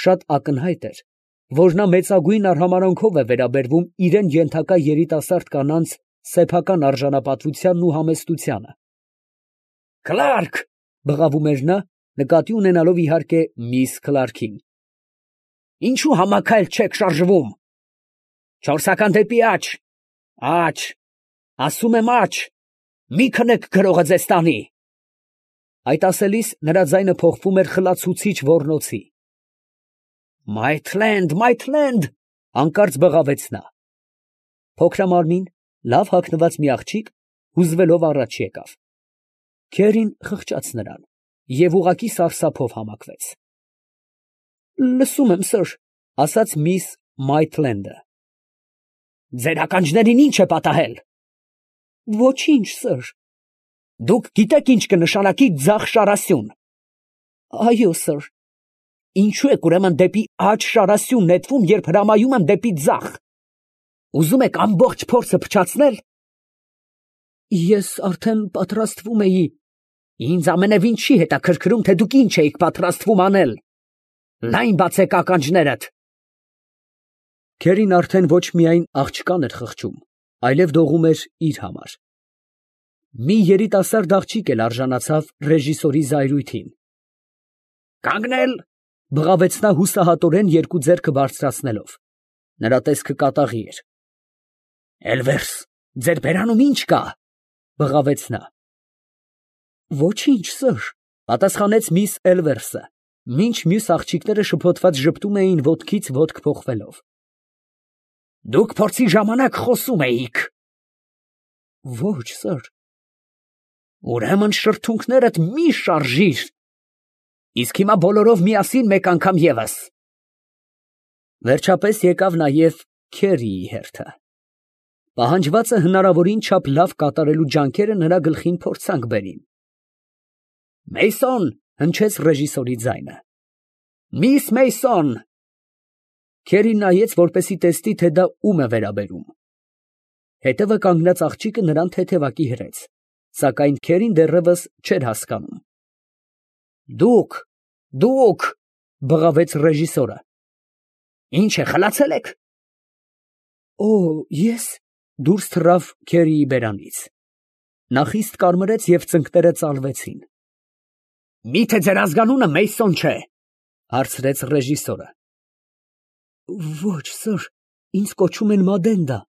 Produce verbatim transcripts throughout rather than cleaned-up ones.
շատ ակնհայտ էր, որ նա մեծագույն արհամարհանքով է վերաբերվում իրան ենթակա երիտասարդ կանանց սեփական արժանապատվությանն ու համեստությանը։ ֊ Քլարկ, ֊ բղավում էր նա, նկատի ունենալով, իհարկե, միս Քլարքին. ֊ ինչո՞ւ համաքայլ չեք շարժվում. չորսական դեպի աջ, աջ, ասում եմ աջ, մի քնեք գրողը ձեզ տանի… Այդ ասելիս նրա ձայնը փոխվում էր խլացուցիչ ոռնոցի։ Մայթլենդ, Մայթլենդ… հանկարծ բղավեց նա։ Փոքրամարմին, լավ հագնված մի աղջիկ հուզվելով առաջ եկավ. Քերին խղճաց նրան և ուղղակի սարսափով համակվեց։ ֊ Լսում եմ, սըր, ֊ ասաց միս Մայթլենդը։ ֊ Ձեր ականջներին ի՞նչ է պատահել։ ֊ Ոչինչ, սըր։ ֊ Դուք գիտեք ինչ կնշանակի ձախ շարասյուն։ ֊ Այո, սըր։ ֊ Ինչո՞ւ եք ուրեմն դեպի աջ շարասյուն նետվում, երբ հրամայում եմ դեպի ձախ. ուզում եք ամբողջ փորձը փչացնել։ ֊ Ես արդեն պատրաստվում էի… ֊ Ինձ ամենևին չի հետաքրքրում, թե դուք ինչ էիք պատրաստվում անել… Լայն բացեք ականջներդ… Քերին արդեն ոչ միայն աղջկան էր խղճում, այլև դողում էր իր համար… Մի երիտասարդ աղջիկ էլ արժանացավ ռեժիսորի զայրույթին։ ֊ Կանգնել, ֊ բղավեց նա հուսահատորեն երկու ձեռքը բարձրացնելով. նրա տեսքը կատաղի էր։ ֊ Էլվերս, ձեր բերանում ի՞նչ կա, ֊ բղավեց նա։ ֊ Ոչինչ, սըր, ֊ պատասխանեց միս Էլվերսը, մինչ մյուս աղջիկները շփոթված ժպտում էին ոտքից ոտք փոխվելով։ ֊ Դուք փորձի ժամանակ խոսում էիք։ ֊ Ոչ, սըր։ ֊ Ուրեմն շրթունքներդ մի շարժիր… Իսկ հիմա բոլորով միասին մեկ անգամ ևս… Վերջապես եկավ նաև Քերիի հերթը։ Պահանջվածը հնարավորին չափ լավ կատարելու ջանքերը նրա գլխին փորձանք բերին։ Մեյսոն, ֊ հնչեց ռեժիսորի ձայնը, ֊ Միս Մեյսոն… Քերին նայեց, որպեսզի տեսնի, թե դա ում է վերաբերում։ Հետևը կանգնած աղջիկը նրան թեթևակի հրեց, սակայն Քերին դեռևս չէր հասկանում։ Դուք… դուք… ֊ բղավեց ռեժիսորը։ Ինչ է, խլացե՞լ եք։ ֊ Օ, ես… ֊ դուրս թռավ Քերիի բերանից։ Նա խիստ կարմրեց և ծնկները ծալվեցին։ ֊ Մի՞թե ձեր ազգանունը Մեյսոն չէ, ֊ հարցրեց ռեժիսորը։ ֊ Ոչ, սըր, ինձ կոչում են Մադենդա։ ֊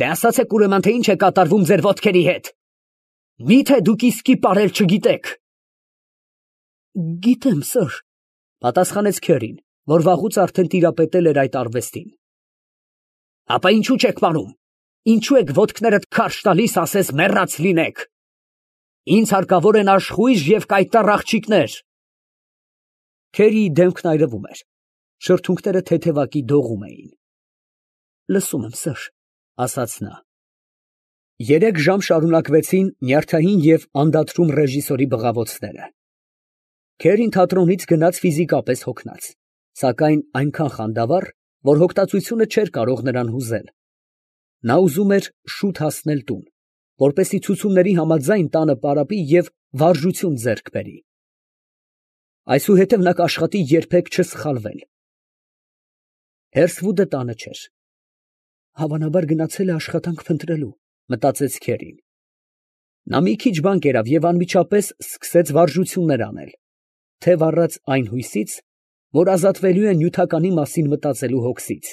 Դե ասացեք ուրեմն, թե ինչ է կատարվում ձեր ոտքերի հետ. Մի՞թե դուք իսկի պարել չգիտեք։ ֊ Գիտեմ, սըր, ֊ պատասխանեց Քերին, որ վաղուց արդեն տիրապետել էր այդ արվեստին։ ֊ Ապա ինչո՞ւ չեք պարում, ինչո՞ւ եք ոտքներդ քարշ տալիս, ասես մեռած լինեք։ Ինձ հարկավոր են աշխույժ և կայտառ աղջիկներ… Քերիի դեմքն այրվում էր, շրթունքները թեթևակի դողում էին։ ֊ Լսում եմ, սըր, ֊ ասաց նա։ Երեք ժամ շարունակվեցին նյարդային և անդադրում ռեժիսորի բղավոցները։ Քերին թատրոնից գնաց ֆիզիկապես հոգնած, սակայն այնքան խանդավառ, որ հոգտացությունը չէր կարող նրան հուզել։ Նա ուզում էր շուտ հասնել տուն, որպեսզի ցուցումների համաձայն տանը պարապի և վարժություն ձեռք բերի։ Այսուհետև նա կաշխատի երբեք չսխալվել։ Հերսվուդը տանը չէր։ Հավանաբար գնացել է աշխատանք փնտրելու, ֊ մտածեց Քերին։ Նա մի քիչ բան կերավ և անմիջապես սկսեց վարժություններ անել, թև առած այն հույսից, որ ազատվելու է նյութականի մասին մտածելու հոգսից…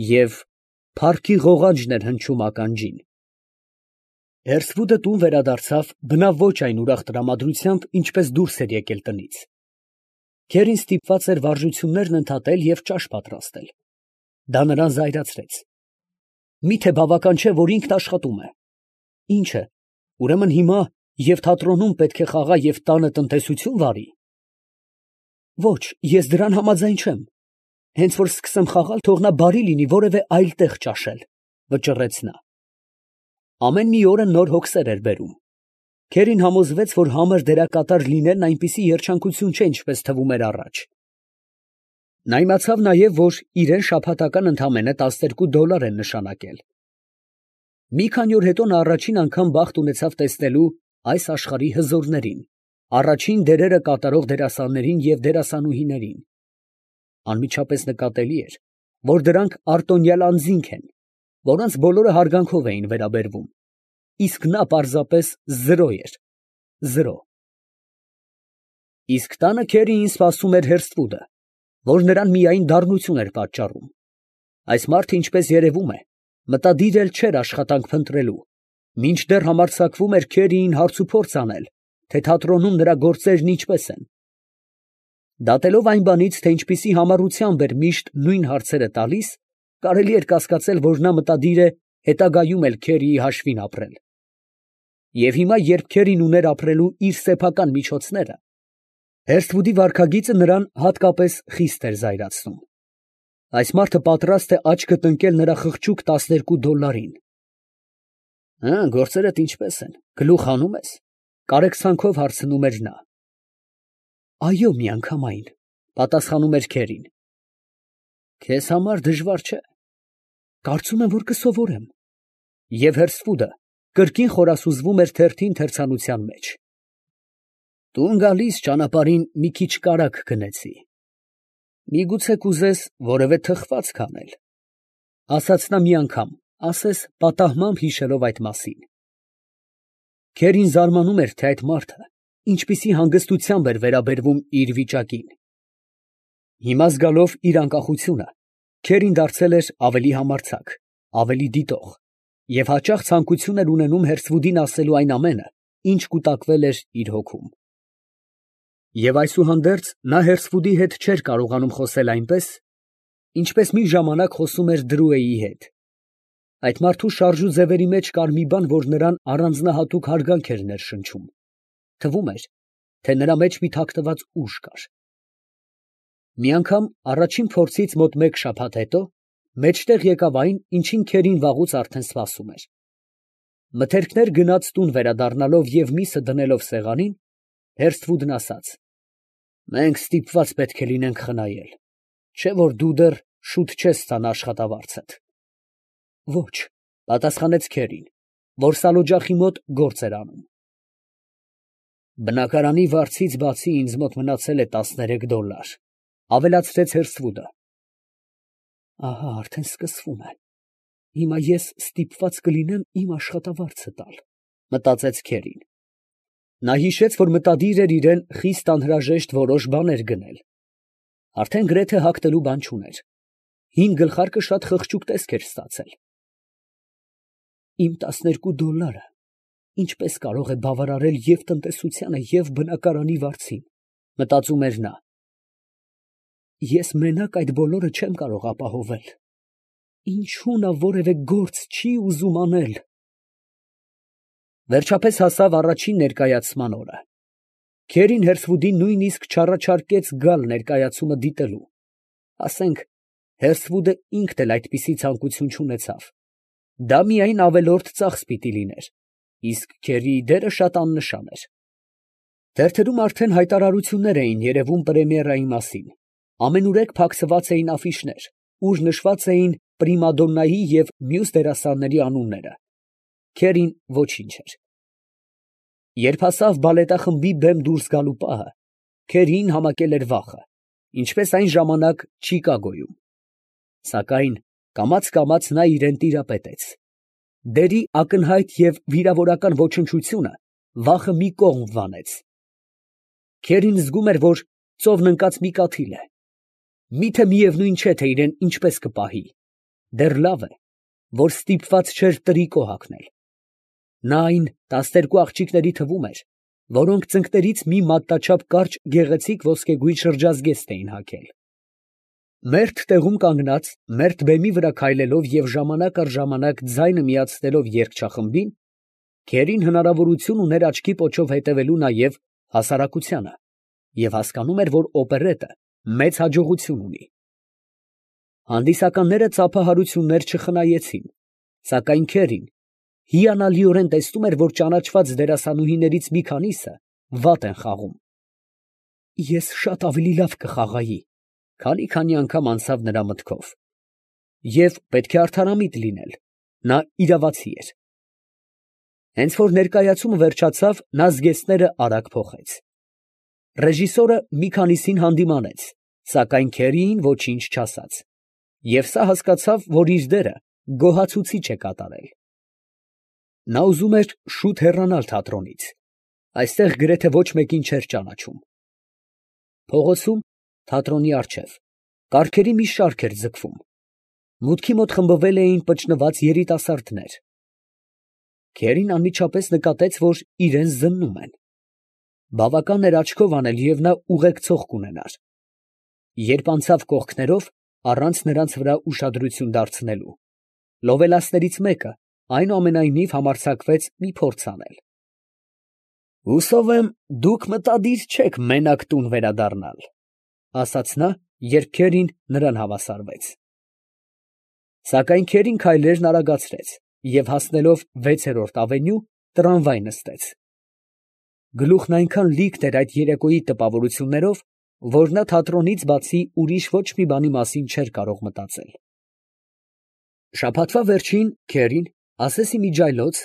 Եվ փառքի ղողանջն էր հնչում ականջին։ Հերսվուդը տուն վերադարձավ բնավ ոչ այն ուրախ տրամադրությամբ, ինչպես դուրս էր եկել տնից։ Քերին ստիպված էր վարժություններն ընդհատել և ճաշ պատրաստել։ Դա նրան զայրացրեց։ Մի՞թե բավական չէ, որ ինքն աշխատում է։ Ի՞նչ է, ուրեմն հիմա և թատրոնում պետք է խաղա և տանը տնտեսություն վարի։ Ոչ, ես դրան համաձայն չեմ։ Հենց որ սկսեմ խաղալ, թող նա բարի լինի որևէ այլ տեղ ճաշել, ֊ վճռեց նա։ Ամեն մի օրը նոր հոգսեր էր բերում։ Քերին համոզվեց, որ համր դերակատար լինելն այնպիսի երջանկություն չէ, ինչպես թվում էր առաջ։ Նա իմացավ նաև, որ իրան շաբաթական ընդամենը տասներկու դոլար են նշանակել։ Մի քանի օր հետո նա առաջին անգամ բախտ ունեցավ տեսնելու այս աշխարհի հզորներին, առաջին դերերը կատարող դերասաններին և դերասանուհիներին. անմիջապես նկատելի էր, որ դրանք արտոնյալ անձինք են, որոնց բոլորը հարգանքով էին վերաբերվում, իսկ նա պարզապես զրո էր, զրո։ Իսկ տանը Քերիին սպասում էր Հերսթվուդը, որ նրան միայն դառնություն էր պատճառում։ Այս մարդը, ինչպես երևում է, մտադիր էլ չէր աշխատանք փնտրելու, մինչդեռ համարձակվում էր Քերիին հարցուփորձ անել, թե թատրոնում նրա գործերն ինչպես են։ Դատելով այն բանից, թե ինչպիսի համառությամբ էր միշտ նույն հարցերը տալիս, կարելի էր կասկածել, որ նա մտադիր է հետագայում էլ Քերիի հաշվին ապրել։ Եվ հիմա, երբ Քերին ուներ ապրելու իր սեփական միջոցները, Հերսթվուդի վարքագիծը նրան հատկապես խիստ էր զայրացնում։ Այս մարդը պատրաստ է աչքդ ընկել նրա խղճուկ տասներկու դոլարին։ Հը, գործերդ ինչպես են, գլուխ հանում ես, կարեկցանքով հարցնում էր նա։ Այո, միանգամայն, պատասխանում էր Քերին։ Քեզ համար դժվար չէ։ Կարծում եմ, որ կսովորեմ։ Եվ Հերսթվուդը կրկին խորասուզվում էր թերթին թերցանության մեջ։ Տուն գալիս ճանապարհին մի քիչ կարագ գնեցի։ Միգուցե կուզես որևէ թխվածք անել, ասաց նա մի անգամ, ասես պատահմամբ հիշելով այդ մասին։ Քերին զարմանում էր, թե այդ մարդը ինչպիսի հանգստությամբ էր վերաբերվում իր վիճակին։ Հիմա զգալով իր անկախությունը, Քերին դարձել էր ավելի համարձակ, ավելի դիտող և հաճախ ցանկություն էր ունենում Հերսթվուդին ասելու այն ամենը, ինչ կուտակվել էր իր հոգում։ Եվ այսուհանդերձ նա Հերսթվուդի հետ չէր կարողանում խոսել այնպես, ինչպես մի ժամանակ խոսում էր Դրուեի հետ։ Այդ մարդու շարժու ձևերի մեջ կար մի բան, որ նրան առանձնահատուկ հարգանք էր ներշնչում. թվում էր, թե նրա մեջ մի թաքնված ուժ կար։ Մի անգամ առաջին փորձից մոտ մեկ շաբաթ հետո մեջտեղ եկավ այն, ինչին Քերին վաղուց արդեն սպասում էր։ Մթերքներ գնած տուն վերադառնալով և միսը դնելով սեղանին, Հերսթվուդն ասաց. «Մենք ստիպված պետք է լինենք խնայել, չէ՞ որ դու դեռ շուտ չես ստանա աշխատավարձդ»։ Ոչ, պատասխանեց Քերին, որ սալօջախի մոտ գործ էր անում։ Բնակարանի վարձից բացի ինձ մոտ մնացել է տասներեք դոլար, ավելացրեց Հերսթվուդը։ Ահա արդեն սկսվում է։ Հիմա ես ստիպված կլինեմ իմ աշխատավարձը տալ, մտածեց Քերին։ Նա հիշեց, որ մտադիր էր իրեն խիստ անհրաժեշտ որոշ բաներ գնել։ Արդեն գրեթե հագնելու բան չուներ։ Հին գլխարկը շատ խղճուկ տեսք էր ստացել։ Իմ տասներկու դոլարը ինչպես կարող է բավարարել և տնտեսությանը, և բնակարանի վարձին, մտածում էր նա։ Ես մենակ այդ բոլորը չեմ կարող ապահովել։ Ինչու նա որևէ գործ չի ուզում անել։ Վերջապես հասավ առաջին ներկայացման օրը։ Քերին Հերսթվուդին նույնիսկ չառաջարկեց գալ ներկայացումը դիտելու։ Ասենք, Հերսթվուդը ինքն էլ այդպիսի ցանկություն չունեցավ։ Դա միայն ավելորդ ծախս պիտի լիներ, իսկ Քերիի դերը շատ աննշան էր։ Թերթերում արդեն հայտարարություններ էին երևում պրեմիերայի մասին, ամենուրեք փակցված էին աֆիշներ, ուր նշված էին պրիմադոննայի և մյուս դերասանների անունները։ Քերին ոչինչ էր։ Երբ հասավ բալետախմբի բեմ դուրս գալու պահը, Քերիին համակել էր վախը, ինչպես այն ժամանակ Չիկագոյում։ Սակայն կամաց֊կամաց նա իրան տիրապետեց։ Դերի ակնհայտ և վիրավորական ոչնչությունը վախը մի կողմ վանեց։ Քերին զգում էր, որ ծովն ընկած մի կաթիլ է։ Միթե միևնույն չէ, թե իրան ինչպես կպահի։ Դեռ լավ է, որ ստիպված չէր տրիկո հագնել։ Նա այն տասներկու աղջիկների թվում էր, որոնք ծնկներից մի մատնաչափ կարճ գեղեցիկ ոսկեգույն շրջազգեստ էին հագել։ Մերթ տեղում կանգնած, մերթ բեմի վրա քայլելով և ժամանակ առ ժամանակ ձայնը միացնելով երգչախմբին, Քերին հնարավորություն ուներ աչքի պոչով հետևելու նաև հասարակությանը և հասկանում էր, որ օպերետը մեծ հաջողություն ունի։ Հանդիսականները ծափահարություններ չխնայեցին, սակայն Քերին հիանալիորեն տեսնում էր, որ ճանաչված դերասանուհիներից մի քանիսը վատ են խաղում։ Ես շատ ավելի լավ կխաղայի, քանի֊քանի անգամ անցավ նրա մտքով։ Եվ պետք է արդարամիտ լինել, նա իրավացի էր։ Հենց որ ներկայացումը վերջացավ, նա զգեստները արագ փոխեց։ Ռեժիսորը մի քանիսին հանդիմանեց, սակայն Քերիին ոչինչ չասաց, և սա հասկացավ, որ իր դերը գոհացուցիչ է կատարել։ Նա ուզում էր շուտ հեռանալ թատրոնից, այստեղ գրեթե ոչ մեկին չէր ճանաչում։ Փողոցում, թատրոնի առջև, կառքերի մի շարք էր ձգվում, մուտքի մոտ խմբվել էին պճնված երիտասարդներ։ Քերին անմիջապես նկատեց, որ իրենց զննում են։ Բավական էր աչքով անել, և նա ուղեկցող կունենար։ Երբ անցավ կողքներով, առանց նրանց վրա ուշադրություն դարձնելու, լովելասներից մեկը այնուամենայնիվ համարձակվեց մի փորձ անել։ «Հուսով եմ, դուք մտադիր չեք մենակ տուն վերադառնալ», ֊ ասաց նա, երբ Քերին նրան հավասարվեց։ Սակայն Քերին քայլերն արագացրեց և հասնելով վեցերորդ ավենյու, տրամվայ նստեց։ Գլուխն այնքան լիքն էր այդ երեկոյի տպավորություններով, որ նա թատրոնից բացի ուրիշ ոչ մի բանի մասին չէր կարող մտածել։ Շաբաթվա վերջին Քերին, ասեսի մի ջայլոց,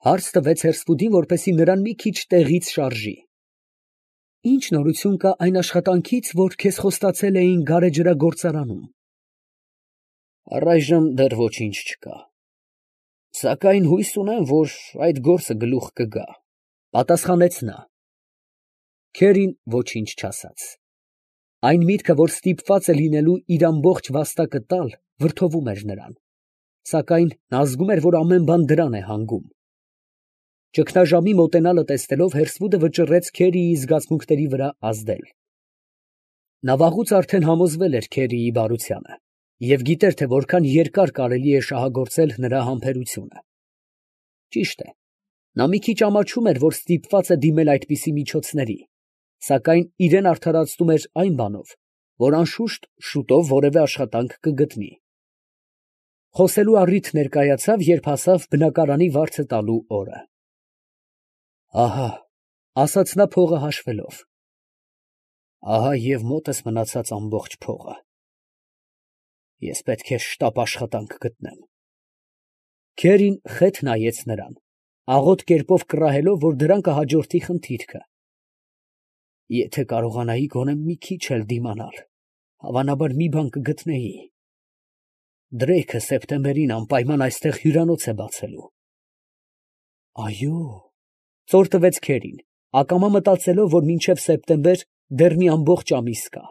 հարց տվեց հերսվուդին, որպեսզի նրան մի քիչ տեղից շարժի։ «Ի՞նչ նորություն կա այն աշխատանքից, որ քեզ խոստացել էին գարեջրագործարանում»։ «Առայժմ դեռ ոչինչ չկա, սակայն հույս ունեմ, որ այդ գործը գլուխ կգա», ֊ պատասխանեց նա։ Քերին ոչինչ չասաց։ Այն միտքը, որ ստիպված է լինելու իր ամբողջ վաստակը տալ, վրդովում էր նրան, սակայն նա զգում էր, որ ամեն բան դրան է հանգում։ Ճգնաժամի մոտենալը տեսնելով, հերսվուդը վճռեց Քերիի զգացմունքների վրա ազդել։ Նա վաղուց արդեն համոզվել էր Քերիի բարությանը և գիտեր, թե որքան երկար կարելի է շահագործել նրա համբերությունը։ Ճիշտ է, նա մի քիչ ամաչում էր, որ ստիպված է դիմել այդպիսի միջոցների, սակայն իրեն արդարացնում էր այն բանով, որ անշուշտ շուտով որևէ աշխատանք կգտնի։ Խոսելու առիթ ներկայացավ, երբ հասավ բնակարանի վարձը տալու օրը։ «Ահա», ֊ ասաց նա փողը հաշվելով, ֊ ահա և մոտս մնացած ամբողջ փողը։ Ես պետք է շտապ աշխատանք գտնեմ։ Քերին խեթ նայեց նրան, աղոտ կերպով կռահելով, որ դրան կհաջորդի խնդիրքը։ Եթե կարողանայի գոնե մի քիչ էլ դիմանալ, հավանաբար մի բան կգտնեի։ Դրեյքը սեպտեմբերին անպայման այստեղ հյուրանոց է բացելու։ Այո, ծոր տվեց Քերին, ակամա մտածելով, որ մինչև սեպտեմբեր դեռ մի ամբողջ ամիս կա։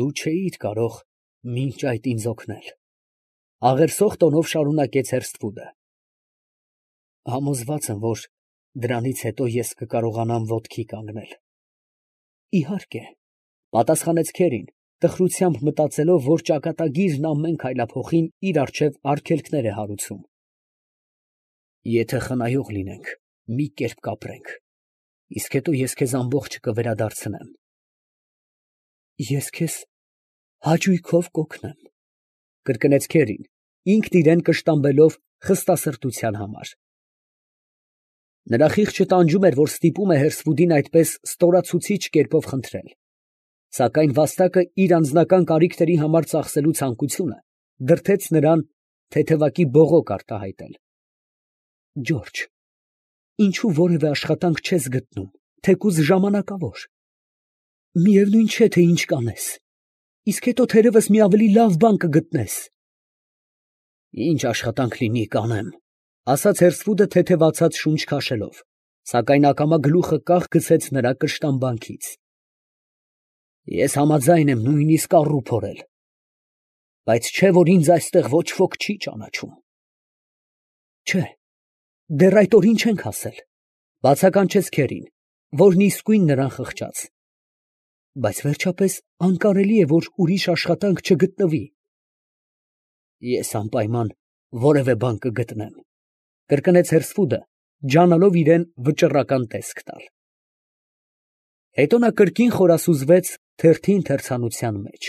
Դու չէիր կարող մինչ այդ ինձ օգնել, ֊ աղերսող տոնով շարունակեց հերսվուդը։ Համոզված եմ, որ դրանից հետո ես կկարողանամ ոտքի կանգնել։ Իհարկե, ֊ պատասխանեց Քերին, տխրությամբ մտածելով, որ ճակատագիրն ամեն քայլափոխին իր առջև արգելքներ է հարուցում։ Եթե խնայող լինենք, մի կերպ կապրենք, իսկ հետո ես քեզ ամբողջը կվերադարձնեմ։ Ես քեզ հաճույքով կօգնեմ, ֊ կրկնեց Քերին, ինքն իրան կշտամբելով խստասրտության համար։ Նրա խիղճը տանջում էր, որ ստիպում է հերսվուդին այդպես ստորացուցիչ կերպով խնդրել, սակայն վաստակը իր անձնական կարիքների համար ծախսելու ցանկությունը դրդեց նրան թեթևակի բողոք արտահայտել։ Ջորջ, ինչու որևէ աշխատանք չես գտնում, թեկուզ ժամանակավոր։ Միևնույն չէ, թե ինչ կանես, իսկ հետո թերևս մի ավելի լավ բան կգտնես։ Ինչ աշխատանք լինի, կանեմ, ֊ ասաց հերսվուդը թեթևացած շունչ քաշելով, սակայն ակամա գլուխը կախ գցեց նրա կշտամբանքից։ Ես համաձայն եմ նույնիսկ առու փորել, բայց չէ՞ որ ինձ այստեղ ոչ ոք չի ճանաչում։ Չէ, դեռ այդ օրին չենք հասել, ֊ բացականչեց Քերին, որն իսկույն նրան խղճաց։ Բայց վերջապես անկարելի է, որ ուրիշ աշխատանք չգտնվի։ Ես անպայման որևէ բան կգտնեմ, ֊ կրկնեց հերսվուդը, ջանալով իրան վճռական տեսք տալ։ Հետո նա կրկին խորասուզվեց թերթի ընթերցանության մեջ։